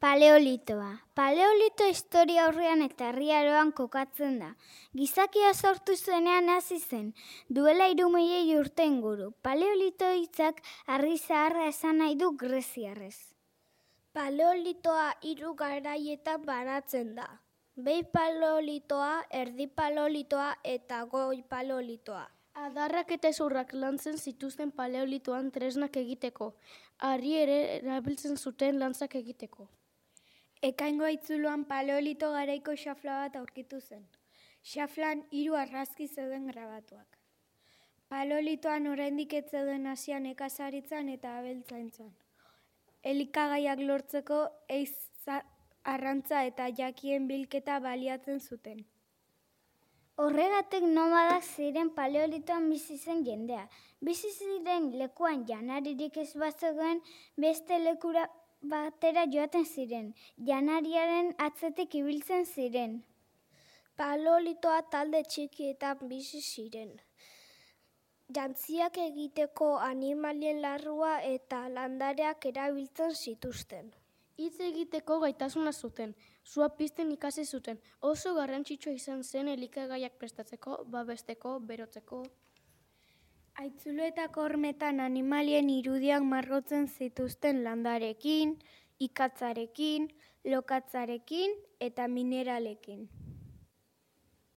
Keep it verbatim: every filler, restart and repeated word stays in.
Paleolitoa. Paleolito historia aurrean eta herriaroan kokatzen da. Gizakia sortu zuenean hasi zen, duela hiru milioi urte inguru. Paleolito hitzak harri zaharra esan nahi du greziarrez. Paleolitoa hiru garaietan banatzen da. Behi paleolitoa, erdi paleolitoa eta goi paleolitoa. Adarrak eta hezurrak lantzen zituzten paleolitoan tresnak egiteko. Harri ere erabiltzen zuten lantzak egiteko. Ekaingo haitzuloan paleolito garaiko xafla bat aurkitu zen. Xaflan hiru argazki zeuden grabatuak. Paleolitoan oraindik ez zeuden hasian nekazaritzan eta abeltzaintzan. Elikagaiak lortzeko ehiza, arrantza eta jakien bilketa baliatzen zuten. Horregatik nomadak ziren paleolitoan bizi zen jendea. Bizi ziren lekuan janaririk ez bazegoen beste lekura batera joaten ziren. Janariaren atzetik ibiltzen ziren. Paleolitoa talde txikietan bizi ziren. Jantziak egiteko animalien larrua eta landareak erabiltzen zituzten. Hitz egiteko gaitasuna zuten, sua pizten ikasi zuten. Oso garrantzitsua izan zen elikagaiak prestatzeko, babesteko, berotzeko. Haitzuloetako hormetan animalien irudiak margotzen zituzten landarekin, ikatzarekin, lokatzarekin eta mineralekin.